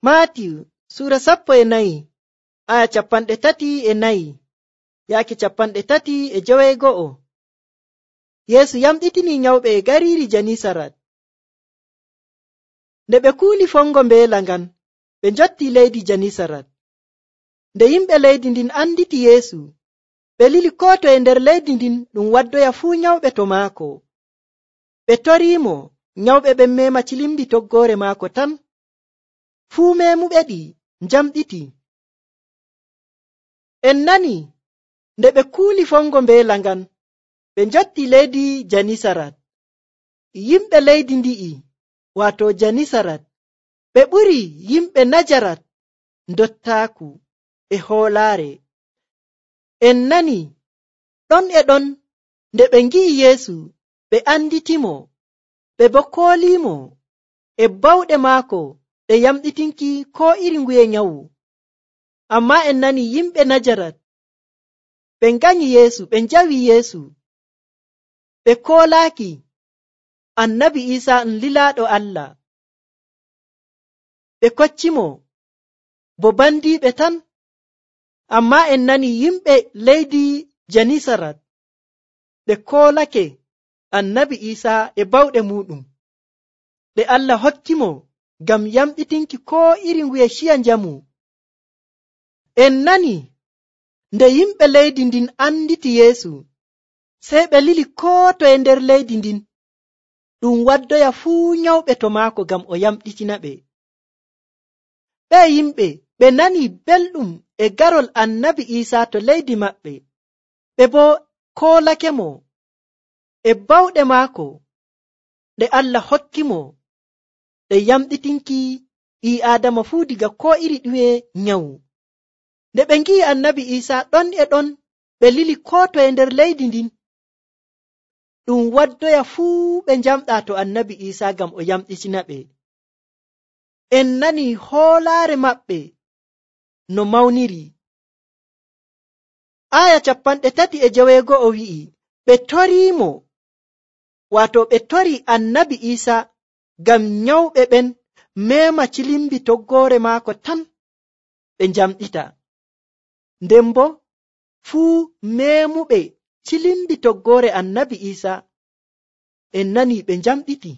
Maatiyu sura 14 aya 34 yaaki 35. Yeesu yamɗitini nyawɓe e gariiri Janisarat. Nde ɓe kuuli fongo mbeela ngan, ɓe njotti leydi Janisarat. Nde yimɓe leydi ndin anditi Yeesu, ɓe lili koo to e nder leydi ndin ɗum waddoya fuu nyawɓe to maako. Ɓe toriimo, nyawɓe ɓen mema cilimbi toggoore maako tan. Fuu meemuɓe ɗi njamɗiti. En nani nde ɓe kuuli fongo mbeela ngan, ɓe njotti leydi Janisarat. Yimɓe leydi ndi'i, waato Janisarat, ɓe ɓuri yimɓe Najarat ndottaaku e hoolaare. En nani ɗon e ɗon nde ɓe ngi'i Yeesu, ɓe anditimo, ɓe boo kooliimo e bawɗe maako ɗe yamɗitinki koo iri nguye nyawu. Ammaa en nani yimɓe Najarat, ɓe nganyi Yeesu, ɓe njawi Yeesu, ɓe koolaaki Annabi Iisaa lilaaɗo Allah. Ɓe koccimo bo bandiiɓe tan. Ammaa en nani yimɓe leydi Janisarat, ɓe koolake Annabi Iisaa e bawɗe muuɗum ɗe Allah hokkimo ngam yamɗitinki koo iri nguye ciya njamu. En nani nde yimɓe leydi ndin anditi Yeesu, sey ɓe lili koo to e nder leydi ndin ɗum waddoya fuu nyawɓe to maako ngam o yamɗitina ɓe. Ɓe yimɓe ɓe nani belɗum e garol Annabi Iisaa to leydi maɓɓe, ɓe boo koolakemo e bawɗe maako ɗe Allah hokkimo ɗe yamɗitinki ɓii Aadama fuu diga koo iri ɗume nyawu. Nde ɓe ngi'i Annabi Iisaa ɗon e ɗon, ɓe lili koo to e nder leydi ndin ɗum waddoya fuu ɓe njamɗaa to Annabi Iisaa ngam o yamɗitina ɓe. En nani hoolaare maɓɓe no mawniri. Aya 36 wi'i, ɓe toriimo, waato ɓe tori Annabi Iisaa ngam nyawɓe ɓen meema cilimbi toggoore maako tan ɓe njamɗita. Nden boo fuu meemuɓe cilimbi toggoore Annabi Iisaa en nani ɓe njamɗiti.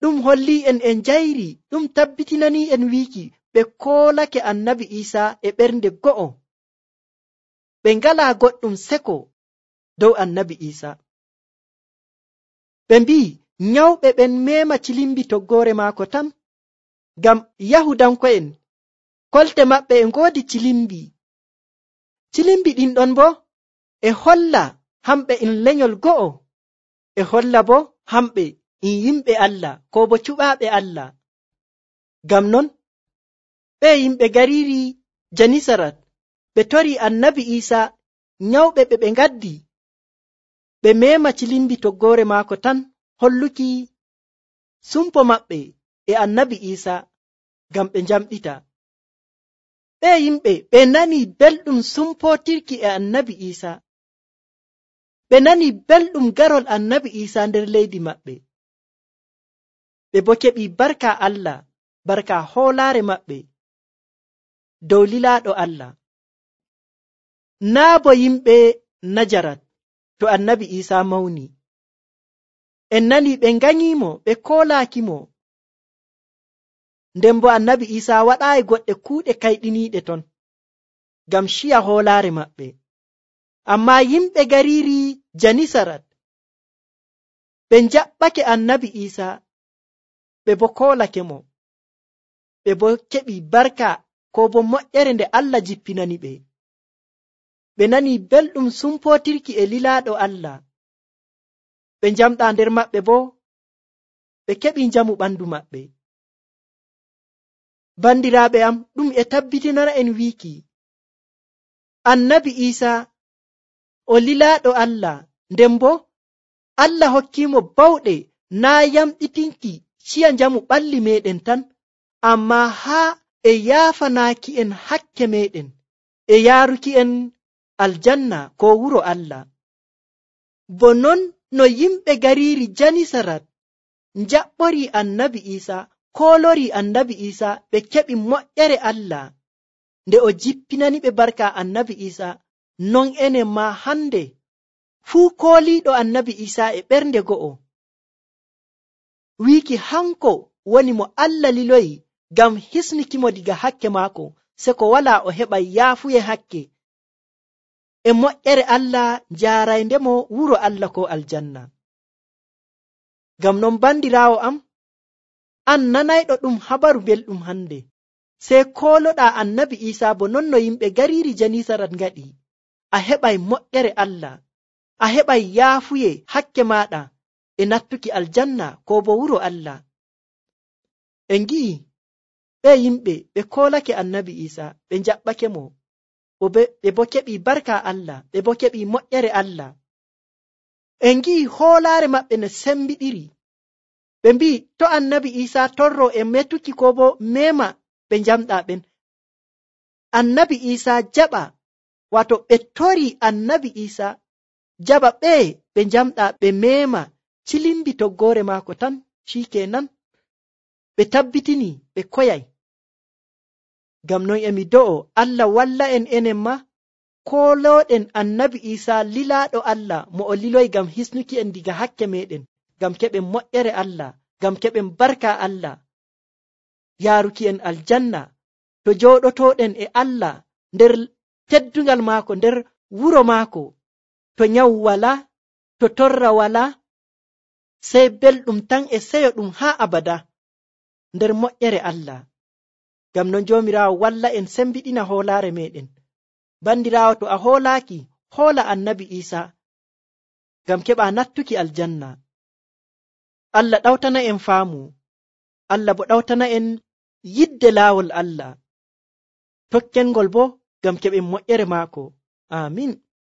Ɗum hollii en njayri, ɗum tabbitinanii en wiiki ɓe koolake Annabi Iisaa e ɓernde go'o. Ɓe ngalaa goɗɗum seko dow Annabi Iisaa. Ɓe mbi'i nyawɓe ɓen meema cilimbi toggoore maako tan, ngam Yahudanko'en kolte maɓɓe e ngoodi cilimbi. Cilimbi ɗin ɗon boo e holla hamɓe en lenyol go'o, e holla boo hamɓe en yimɓe Allah koo bo cuɓaaɓe Allah. Ngam non ɓe yimɓe gariiri Janisarat ɓe tori Annabi Iisaa, nyawɓe ɓe ngaddi ɓe meema cilimbi toggoore maako tan, holluki sumpo maɓɓe e Annabi Iisaa ngam ɓe njamɗita. Ɓe yimɓe ɓe nani belɗum sumpootirki e Annabi Iisaa. Ɓe nani belɗum garol Annabi Iisaa nder leydi maɓɓe. Ɓe boo keɓi barka Allah, barka hoolaare maɓɓe dow lilaaɗo Allah. Naa bo yimɓe Najarat to Annabi Iisaa mawni. En nani ɓe nganyiimo, ɓe koolaakimo. Nden bo Annabi Iisaa waɗaayi goɗɗe kuuɗe kayɗiniiɗe ton ngam ciya hoolaare maɓɓe. Ammaa yimɓe gariiri Janisarat ɓe njaɓɓake Annabi Iisaa, ɓe bo koolakemo. Ɓe bo keɓi barka koo bo moƴƴere nde Allah jippinani ɓe. Ɓe nani belɗum sumpootirki e lilaaɗo Allah. Ɓe njamɗaa nder maɓɓe boo ɓe keɓi njamu ɓandu maɓɓe. Bandiraaɓe am, ɗum e tabbitinana en wiiki Annabi Iisaa o lilaaɗo Allah, nden boo Allah hokkiimo bawɗe naa yamɗitinki ciya njamu ɓalli meeɗen tan, ammaa haa e yaafanaaki en hakke meeɗen e yaaruki en aljanna koo wuro Allah. Bo non no yimɓe gariiri Janisarat njaɓɓori Annabi Iisaa, kolori annabi Isa ɓe keɓi moƴƴere Allah nde o jippinani ɓe barka annabi Isa, non enen ma hande fuu kooliiɗo annabi Isa e ɓernde go'o wiiki hanko woni mo Allah liloyi ngam hisnikimo diga hakke maako, se ko wala o heɓa yaafuye hakke e moƴƴere Allah njaaraindemo wuro Allah ko aljanna. Ngam non bandiraawo am, an nanayɗo ɗum habaru belɗum hande, sey kooloɗa annabi Isa bo non no yimɓe gariiri Janisarat ngaɗi, a heɓay moƴƴere Allah, a heɓay yaafuye hakke maɗa e nattuki aljanna ko bo wuro Allah. En gi'i ɓe yimɓe ɓe koolake annabi Isa, ɓe njaɓɓake mo, ɓe bo keɓi barka Allah, ɓe bo keɓi moƴƴere Allah. En gi'i hoolaare maɓɓe no sembiɗiri, ɓe mbi'i to annabi Isa torro e metuki ko bo mema ɓe njamɗa ɓen. Annabi Isa jaɓa, wato ɓe tori annabi Isa jaɓa ɓe njamɗa ɓe mema cilimbi toggoore maako tan, shikenan ɓe tabbitini ɓe koyay. Ngam non emi do'o Allah walla en enen ma koolooɗen annabi Isa lilaaɗo Allah mo o liloyi ngam hisnuki en diga hakke meɗen, ngam keɓen moƴƴere Allah, ngam keɓen barka Allah, yaaruki en aljanna to jooɗotoɗen e Allah nder teddungal maako, nder wuro maako, to nyawu wala, to torra wala, sey belɗum tan e seyo ɗum haa abada nder moƴƴere Allah. Ngam non joomiraawo walla en sembiɗina hoolaare meɗen. Bandiraawo, to a hoolaaki, hoola annabi Isa ngam keɓa nattuki aljanna. Allah ɗawtana en faamu, Allah bo ɗawtana en yidde laawol Allah, tokkengol bo ngam keɓen moƴƴere maako. Amin.